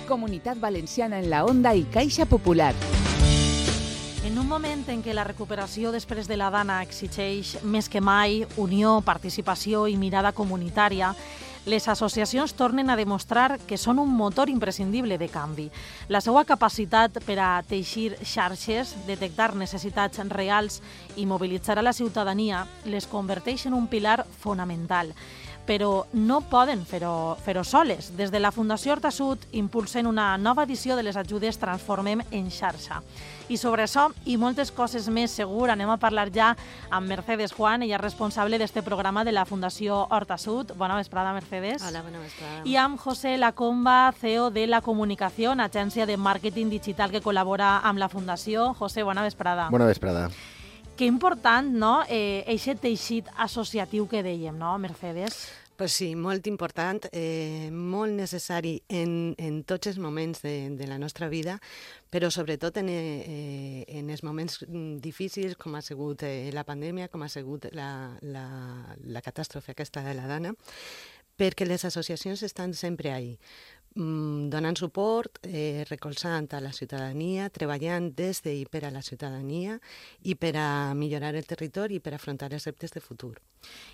Comunitat Valenciana en la Onda i Caixa Popular. En un moment en què la recuperació després de la Dana exigeix més que mai unió, participació i mirada comunitària, les associacions tornen a demostrar que són un motor imprescindible de canvi. La seva capacitat per a teixir xarxes, detectar necessitats reals i mobilitzar a la ciutadania les converteix en un pilar fonamental. Però no poden fer-ho soles. Des de la Fundació Hortasud impulsen una nova edició de les ajudes Transformem en xarxa. I sobre això i moltes coses més segur anem a parlar ja amb Mercedes Juan, ella és responsable d'este programa de la Fundació Hortasud. Bona vesprada, Mercedes. Hola, bona vesprada. I amb José Lacomba, CEO de La Comunicació, agència de màrqueting digital que col·labora amb la Fundació. José, bona vesprada. Bona vesprada. Que important, no?, eixe teixit associatiu que dèiem, no, Mercedes? Pues sí, molt important, molt necessari en tots els moments de la nostra vida, però sobretot en els moments difícils com ha sigut la pandèmia, com ha sigut la catàstrofe aquesta de la Dana, perquè les associacions estan sempre ahí, donant suport, recolzant a la ciutadania, treballant des de i per a la ciutadania i per a millorar el territori i per afrontar els reptes de futur.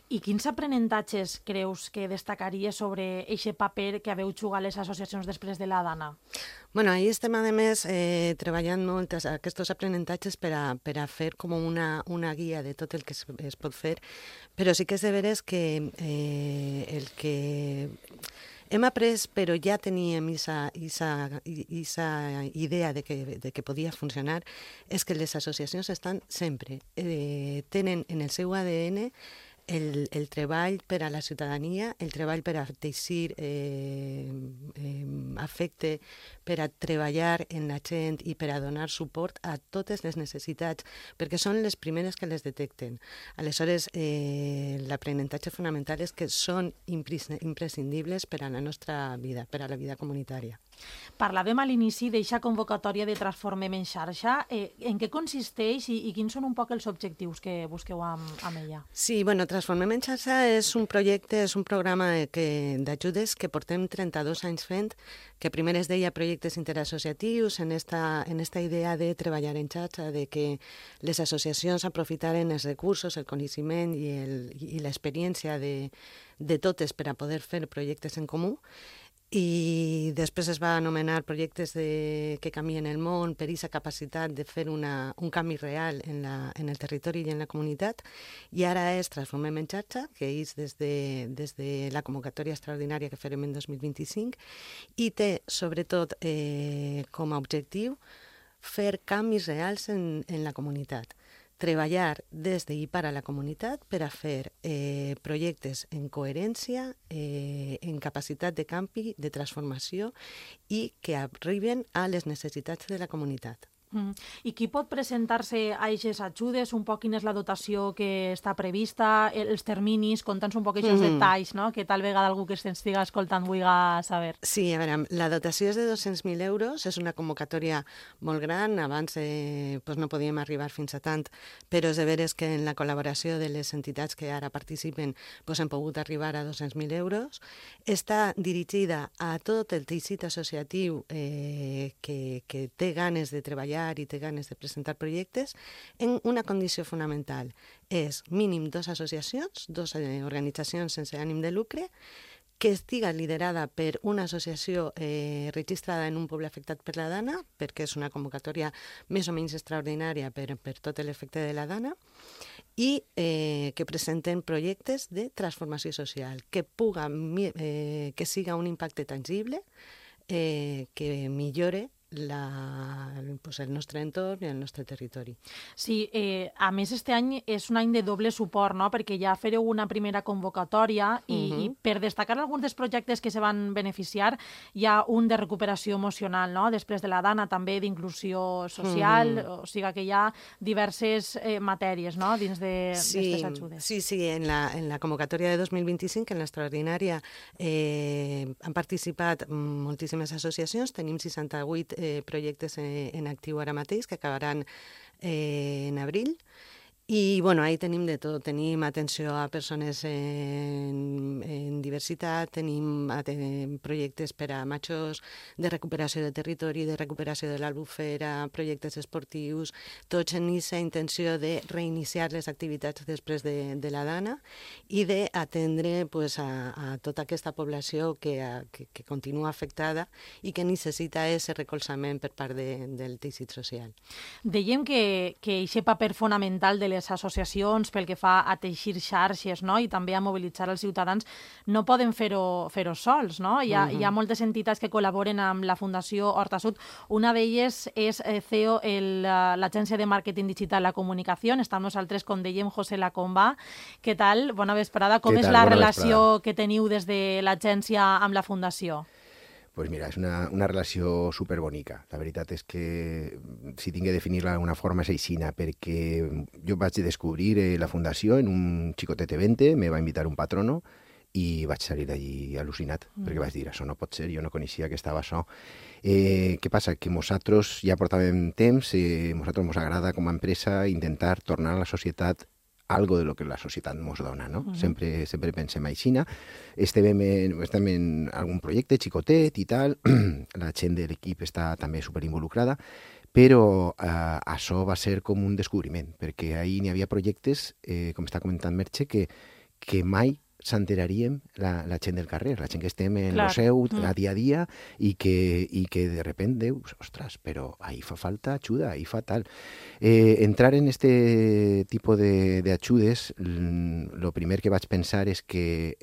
I quins aprenentatges creus que destacaries sobre aquest paper que haveu jugat les associacions després de la Dana? Bueno, ahí estem, a més, treballant molt aquests aprenentatges per a fer com una guia de tot el que es pot fer, però sí que és de veres que el que hem après, però ja teníem aquesta idea de que podia funcionar, és que les associacions estan sempre, tenen en el seu ADN el treball per a la ciutadania, el treball per a teixir afecte, per a treballar en la gent i per a donar suport a totes les necessitats, perquè són les primeres que les detecten. Aleshores, l'aprenentatge fonamental és que són imprescindibles per a la nostra vida, per a la vida comunitària. Parlàvem a l'inici d'eixa convocatòria de Transformem en xarxa. En què consisteix i quins són un poc els objectius que busqueu amb ella? Sí, bueno, Transformem en xarxa és un projecte, és un programa d'ajudes que portem 32 anys fent, que primer es deia projectes interassociatius, en esta idea de treballar en xarxa, de que les associacions aprofitaren els recursos, el coneixement i l'experiència de totes per a poder fer projectes en comú. I després es va anomenar projectes que canvien el món per aquesta capacitat de fer un canvi real en el territori i en la comunitat. I ara és Transformem en xarxa, que és des de la convocatòria extraordinària que farem en 2025 i té, sobretot, com a objectiu fer canvis reals en la comunitat. Treballar des de i per a la comunitat per a fer projectes en coherència, en capacitat de canvi, de transformació i que arriben a les necessitats de la comunitat. I qui pot presentar-se a aquestes ajudes? Un poc quina és la dotació que està prevista, els terminis, conta'ns un poc aquests detalls, no?, que tal vegada algú que s'estiga escoltant vulgui saber. Sí, a veure, la dotació és de 200.000 euros, és una convocatòria molt gran, abans no podíem arribar fins a tant, però és de veres que en la col·laboració de les entitats que ara participen hem pogut arribar a 200.000 euros. Està dirigida a tot el teixit associatiu que té ganes de treballar i té ganes de presentar projectes, en una condició fonamental. És mínim 2 associacions, 2 organitzacions sense ànim de lucre, que estiga liderada per una associació registrada en un poble afectat per la Dana, perquè és una convocatòria més o menys extraordinària per tot l'efecte de la Dana, i que presenten projectes de transformació social, que siga un impacte tangible, que millore el nostre entorn i el nostre territori. Sí, a més, este any és un any de doble suport, no?, perquè ja fareu una primera convocatòria i per destacar alguns dels projectes que se van beneficiar, hi ha un de recuperació emocional, no?, després de la Dana, també d'inclusió social, o sigui que hi ha diverses matèries, no?, dins d'aquestes ajudes. Sí, en la convocatòria de 2025, en l'extraordinària, han participat moltíssimes associacions, tenim 68 projectes en actiu ara mateix, que acabaran en abril, I, bueno, ahí tenim de tot. Tenim atenció a persones en diversitat, tenim projectes per a majors de recuperació de territori, de recuperació de l'albufera, projectes esportius, tots en aquesta intenció de reiniciar les activitats després de la dana i d'atendre pues, a tota aquesta població que continua afectada i que necessita aquest recolzament per part del teixit social. Dèiem que aquest paper fonamental de les associacions pel que fa a teixir xarxes, no? I també a mobilitzar els ciutadans no poden fer-ho sols. No? Hi ha moltes entitats que col·laboren amb la Fundació Horta Sud. Una d'elles és CEO, l'agència de màrqueting digital La Comunicació. Està amb nosaltres, com dèiem, José Lacomba. Què tal? Bona vesprada. Com és la relació que teniu des de l'agència amb la Fundació? Pues mira, és una relació superbonica. La veritat és que, si tinc que definir-la d'alguna forma, és aixina, perquè jo vaig descobrir la fundació en un xicotet event, me va invitar un patrono i vaig salir d'allí al·lucinat, perquè vaig dir, això no pot ser, jo no coneixia que estava això. Què passa? Que nosaltres ja portàvem temps, nosaltres ens agrada com a empresa intentar tornar a la societat algo de lo que la societat ens dona, no? Sempre pensem aixina. Estem en algun projecte xicotet i tal, la gent de l'equip està també superinvolucrada, però això va ser com un descobriment, perquè ahir n'hi havia projectes, com està comentant Merche, que mai s'enteraríem la gent del carrer, la gent que estem en el seu a dia a dia i que de repente dius, ostres, però ahí fa falta ajuda, ahí fa tal. Entrar en este tipo de ajudes, lo primer que vaig pensar és que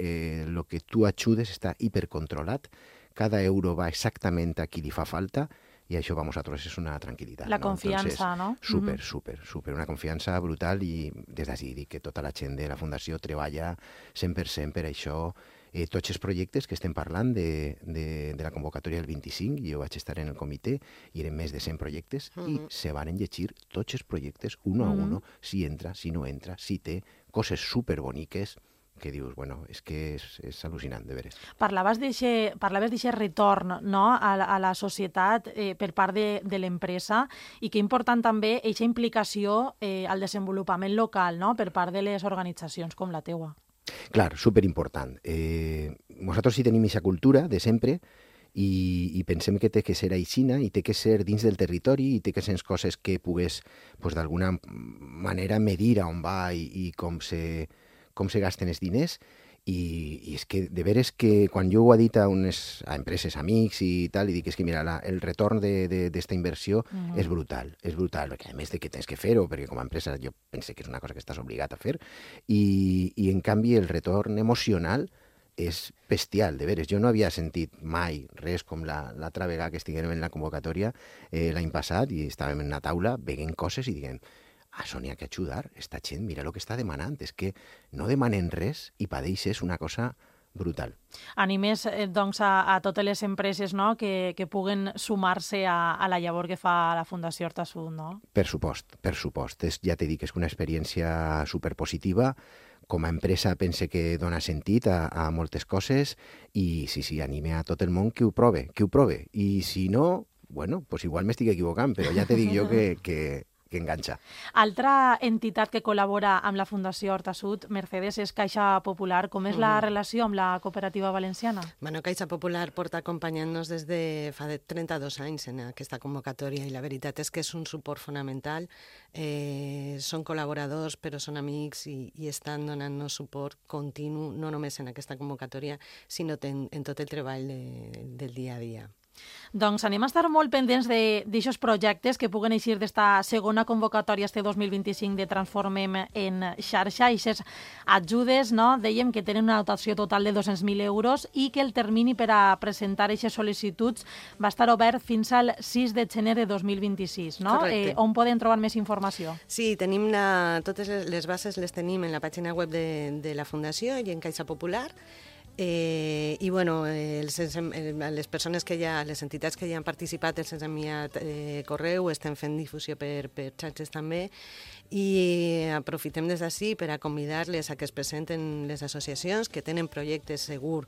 lo que tu ajudes està hipercontrolat, cada euro va exactament a qui li fa falta, i això per nosaltres és una tranquil·litat. La confiança, no? Super, una confiança brutal i des d'ací dic que tota la gent de la Fundació treballa 100% per això. Tots els projectes que estem parlant de la convocatòria del 25, jo vaig estar en el comitè i eren més de 100 projectes i se van llegir tots els projectes un a un, si entra, si no entra, si té coses superboniques que dius, bueno, és que és al·lucinant, de veres. Parlaves d'aquest retorn, no?, a la societat per part de l'empresa i que important també aquesta implicació al desenvolupament local, no?, per part de les organitzacions com la teua. Clar, superimportant. Nosaltres sí tenim aquesta cultura de sempre i pensem que té que ser aixina i té que ser dins del territori i té que ser coses que pugues, pues, d'alguna manera medir on va i com se gasten els diners, i és que de veres que quan jo ho he dit a empreses, amics i tal, i dic, és que mira, el retorn d'esta inversió és brutal, perquè a més de que tens que fer-ho, perquè com a empresa jo penso que és una cosa que estàs obligat a fer, i en canvi el retorn emocional és bestial, de veres. Jo no havia sentit mai res com l'altra vegada que estiguem en la convocatòria l'any passat i estàvem en una taula veient coses i diguem, això n'hi ha que ajudar, esta gent, mira el que està demanant, és que no demanen res i per ells és una cosa brutal. Animes, doncs, a totes les empreses, no?, que puguen sumar-se a la llavor que fa la Fundació Horta Sud, no? Per supost. Ja t'he dit que és una experiència superpositiva. Com a empresa pense que dona sentit a moltes coses i sí, anime a tot el món que ho prove. I si no, bueno, pues igual m'estic equivocant, però ja t'he dit jo que enganxa. Altra entitat que col·labora amb la Fundació Horta Sud, Mercedes, és Caixa Popular. Com és la relació amb la cooperativa valenciana? Bueno, Caixa Popular porta acompanyant-nos des de fa 32 anys en aquesta convocatòria i la veritat és que és un suport fonamental. Són col·laboradors, però són amics i estan donant-nos suport continu, no només en aquesta convocatòria, sinó en tot el treball del dia a dia. Doncs anem a estar molt pendents d'aixòs projectes que puguen eixir d'esta segona convocatòria este 2025 de Transformem en xarxa. Aquestes ajudes, no?, dèiem que tenen una dotació total de 200.000 euros i que el termini per a presentar aquestes sol·licituds va estar obert fins al 6 de gener de 2026, no? On poden trobar més informació? Sí, tenim totes les bases les tenim en la pàgina web de la Fundació i en Caixa Popular. I bueno, les persones les entitats que ja han participat els han enviat correu, estem fent difusió per xarxes també i aprofitem des d'ací per a convidar-les a que es presenten les associacions que tenen projectes segur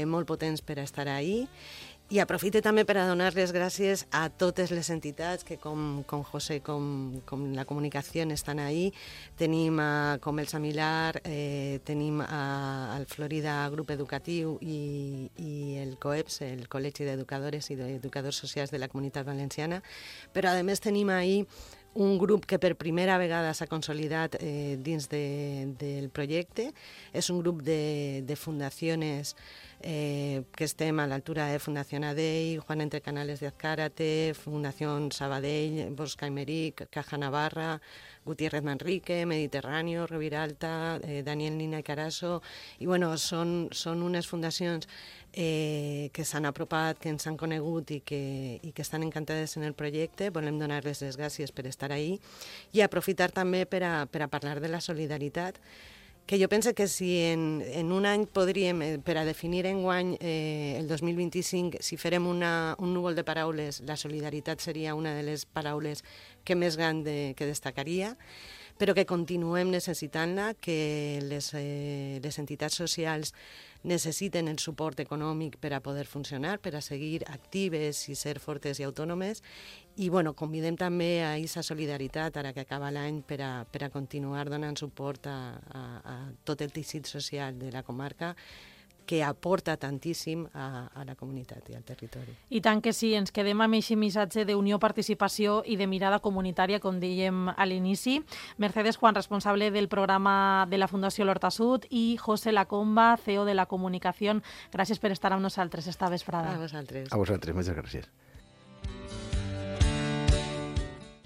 molt potents per a estar ahí I aprofite també per a donar les gràcies a totes les entitats que com José, com la comunicació estan ahí. Tenim com el Samilar, tenim el Florida Grup Educatiu i el COEPS, el Col·legi d'Educadores i d'Educadors Socials de la Comunitat Valenciana, però a més tenim ahí un grup que per primera vegada s'ha consolidat dins del projecte. És un grup de fundacions que estem a l'altura de Fundació Adell, Juan Entre Canales de Azcárate, Fundació Sabadell, Bosch Aymeric, Caja Navarra, Gutiérrez Manrique, Mediterráneo, Reviralta, Daniel Nina i Carasso, i bueno, són unes fundacions que s'han apropat, que ens han conegut i que estan encantades en el projecte. Volem donar-les les gràcies per estar ahí i aprofitar també per a parlar de la solidaritat, que jo penso que si en un any podríem, per a definir enguany el 2025, si farem un núvol de paraules, la solidaritat seria una de les paraules que més gran que destacaria, però que continuem necessitant-la, que les entitats socials necessiten el suport econòmic per a poder funcionar, per a seguir actives i ser fortes i autònomes. I bueno, convidem també a aquesta solidaritat, ara que acaba l'any, per a continuar donant suport a tot el teixit social de la comarca, que aporta tantíssim a la comunitat i al territori. I tant que sí, ens quedem amb aquest missatge d'unió, participació i de mirada comunitària, com dèiem a l'inici. Mercedes Juan, responsable del programa de la Fundació l'Horta Sud, i José Lacomba, CEO de la Comunicació. Gràcies per estar amb nosaltres esta vesprada. A vosaltres. A vosaltres, moltes gràcies.